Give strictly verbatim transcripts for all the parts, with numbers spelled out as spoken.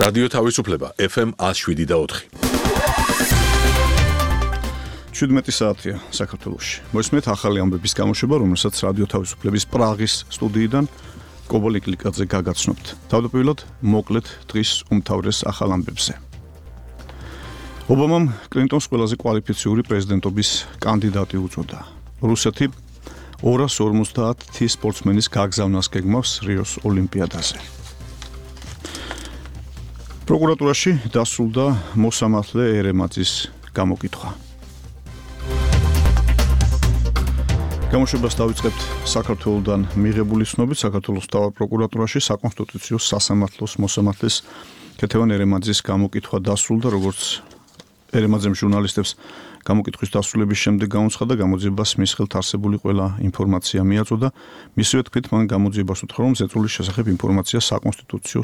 რადიო თავისუფლება ეფ ემ one oh seven და four. შვიდმეტი საათია საქართველოში. მოისმენთ ახალი ამბების გამოშვება, რომელსაც რადიო თავისუფლების პრაღის სტუდიიდან კობოლი კლიკაძე გაგაცნობთ. თავდაპირველად მოკლედ დღის უმთავრეს ახალ ამბებზე. ობამამ კლინტონს ყველაზე კვალიფიციური პრეზიდენტობის კანდიდატი უწოდა. რუსეთი ორას ორმოცდაათი სპორტსმენის გაგზავნას გეგმავს რიოს ოლიმპიადაზე. პროკურატურაში დასრულდა მოსამართლე ერემაძის გამოკითხვა. გამოშვებას დავიწყებთ საქართველოსთან მიღებული ცნობით. საქართველოს მთავარ პროკურატურაში საკონსტიტუციო სასამართლოს მოსამართლის ქეთევან ერემაძის გამოკითხვა დასრულდა, როგორც ერემაძემ ჟურნალისტებს გამოკითხვის დასრულების შემდეგ გამოცხადა, გამოძიებას მის ხელთ არსებული ყველა ინფორმაცია მიაწოდა. მისივე თქმით, მან გამოძიებას უთხრა, რომ ზეწოლის შესახებ ინფორმაცია საკონსტიტუციო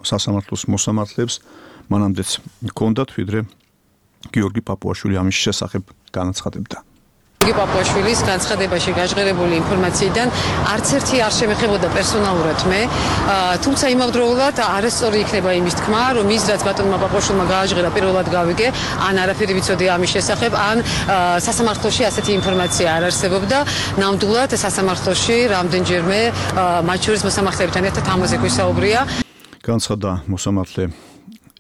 სასამართლოს მოსამართლეებს მანამდეც ჰქონდათ, ვიდრე გიორგი პაპუაშვილი ამის შესახებ განაცხადებდა. პაპუაშვილის განცხადებაში გაჟღერებული ინფორმაციიდან არც ერთი არ შემეხებოდა პერსონალურად მე, თუმცა იმავდროულად არასწორი იქნება იმის თქმა, რომ ის რაც ბატონმა პაპუაშვილმა გააჟღერა პირველად გავიგე, ან არაფერი ვიცოდი ამის შესახებ, ან სასამართლოში ასეთი ინფორმაცია არ არსებობდა. ნამდვილად სასამართლოში რამდენჯერმე მათ შორის მოსამართლეებთან ერთად ამაზე გვისაუბრია. განცხადა მოსამართლე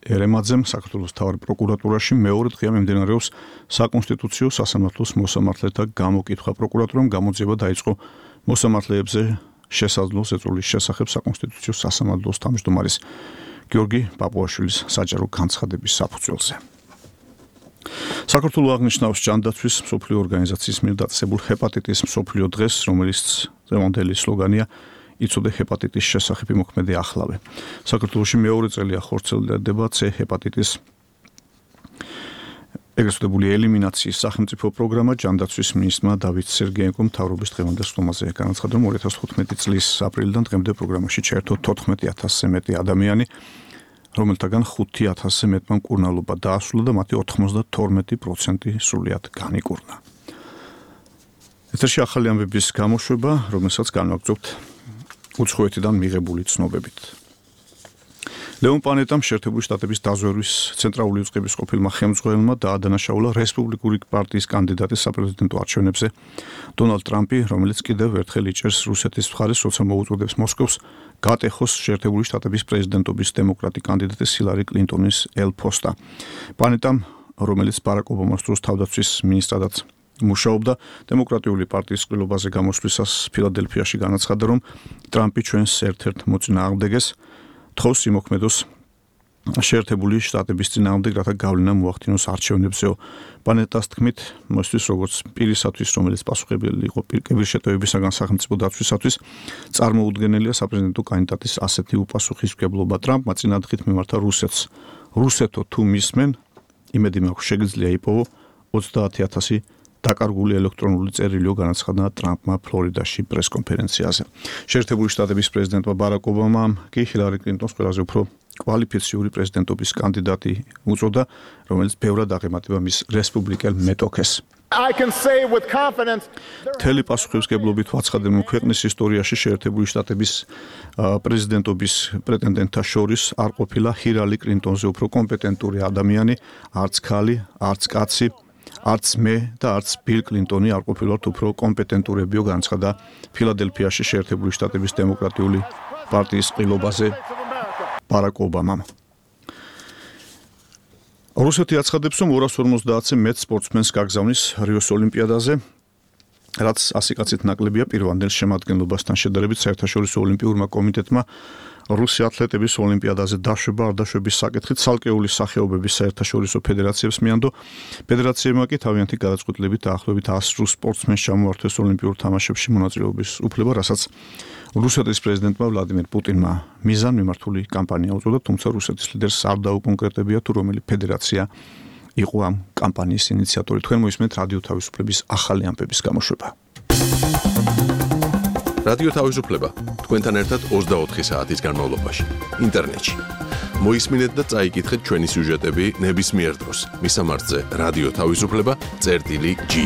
ერემაძემ საქართველოს მთავარ პროკურატურაში მეორე დღეა მიმდინარეობს საკონსტიტუციო სასამართლოს მოსამართლეთა გამოკითხვა. პროკურატურამ გამოძიება დაიწყო მოსამართლეებზე შესაძლო ზეწოლის შესახებ საკონსტიტუციო სასამართლოს თავმჯდომარის გიორგი პაპუაშვილის საჯარო განცხადების საფუძველზე. საქართველოს აღნიშნავს ჯანდაცვის მსოფლიო ორგანიზაციის მიერ დაწესებულ ჰეპატიტის მსოფლიო დღეს, რომელიც დღევანდელი სლოგანია იცოდე ჰეპატიტის შესახებ იმოქმედე ახლავე. საქართველოში მეორე წელია ხორციელდება C ჰეპატიტის ეგრეთ წოდებული ელიმინაციის სახელმწიფო პროგრამა. ჯანდაცვის მინისტრმა დავით სერგეენკომ მთავრობის დღევანდელ სტომაზე განაცხადა, რომ ორი ათას თხუთმეტი წლის აპრილიდან დღემდე პროგრამაში ჩაერთო თოთხმეტი ათასზე მეტი ადამიანი, რომელთაგან ხუთი ათასზე მეტმა მკურნალობა დაასრულა და მათი ოთხმოცდათორმეტი პროცენტი სრულიად განიკურნა. ეთერში ახალი ამბების გამოშვება, რომელსაც განვაგრძობთ უცხოეთიდან მიღებული ცნობებით. ლეონ პანეტამ შეერთებული შტატების დაზვერვის ცენტრალური უწყების ყოფილმა ხელმძღვანელმა დაადანაშაულა რესპუბლიკური პარტიის კანდიდატის საპრეზიდენტო არჩევნებზე დონალდ ტრამპი, რომელიც კიდევ ერთხელ იჭერს რუსეთის მხარეს, როცა მოუწოდებს მოსკოვს გატეხოს შეერთებული შტატების პრეზიდენტობის დემოკრატი კანდიდატის ჰილარი კლინტონის ელ-ფოსტა. პანეტამ, რომელიც ბარაკ ობამას დროს თავდაცვის მინისტრადაც მუშაობდა, დემოკრატიული პარტიის ყრილობაზე გამოსვლისას ფილადელფიაში განაცხადა, რომ ტრამპი ჩვენს ერთ-ერთ მოწინააღმდეგეს თხოვს იმოქმედოს შეერთებული შტატების წინააღმდეგ, რათა გავლენა მოახდინოს არჩევნებზეო. პანეტას თქმით, მოსთვის როგორც პირისათვის, რომელიც პასუხებელი იყო პირკებირშეტევებისაგან სახელმწიფო დაცვისათვის, წარმოუდგენელია საპრეზიდენტო კანდიდატის ასეთი უპასუხისმგებლობა. ტრამპმა წინადღით მიმართა რუსეთს. რუსეთო თუ მისმენ, იმედი მაქვს შეგიძლია იპოვო ოცდაათი ათასი დაკარგული ელექტრონული წერილიო, განაცხადა ტრამპმა ფლორიდაში პრესკონფერენციაზე. შეერთებული შტატების პრეზიდენტმა ბარაკ ობამამ კი ჰილარი კლინტონს ყველაზე უფრო კვალიფიციური პრეზიდენტობის კანდიდატი უწოდა, რომელიც ბევრად აღემატება მის რესპუბლიკელ მეტოქეს. მთელი პასუხისმგებლობით ვაცხადებ, რომ ქვეყნის ისტორიაში შეერთებული შტატების პრეზიდენტობის პრეტენდენტთა შორის არ ყოფილა ჰილარი კლინტონზე უფრო კომპეტენტური ადამიანი, არც ქალი, არც კაცი, არც მე და არც ბილ კლინტონი არ ყოფილვართ უფრო კომპეტენტურებიო, განაცხადა ფილადელფიაში შეერთებული შტატების დემოკრატიული პარტიის ყრილობაზე ბარაკ ობამამ. რუსეთი აცხადებს, რომ ორას ორმოცდაათზე მეტ სპორტსმენს გაგზავნის რიოს ოლიმპიადაზე, რაც ასი კაცით ნაკლებია პირვანდელ შემადგენლობასთან შედარებით. საერთაშორისო ოლიმპიურმა კომიტეტმა რუსი ათლეტების ოლიმპიადაზე დაშვება არ დაშვების საკითხით ცალკეული სახეობების საერთაშორისო ფედერაციებს მიანდო. ფედერაციებმა კი თავიანთი გადაწყვეტილებით დაახლოებით ას რუს სპორტსმენს ჩამოართვეს ოლიმპიურ თამაშებში მონაწილეობის უფლება, რასაც რუსეთის პრეზიდენტმა ვლადიმერ პუტინმა მიზანმიმართული კამპანია უწოდა, თუმცა რუსეთის ლიდერს არ დაუკონკრეტებია, თუ რომელი ფედერაცია იყო ამ კამპანიის ინიციატორი. თქვენ მოისმენთ რადიო თავისუფლების ახალი ამბების გამოშვება. რადიო თავისუფლება თქვენთან ერთად ოცდაოთხი საათის განმავლობაში ინტერნეტში. მოისმინეთ და წაიკითხეთ ჩვენი სიუჟეტები ნებისმიერ დროს. მისამართზე რადიო თავისუფლება წერტილი ჯი.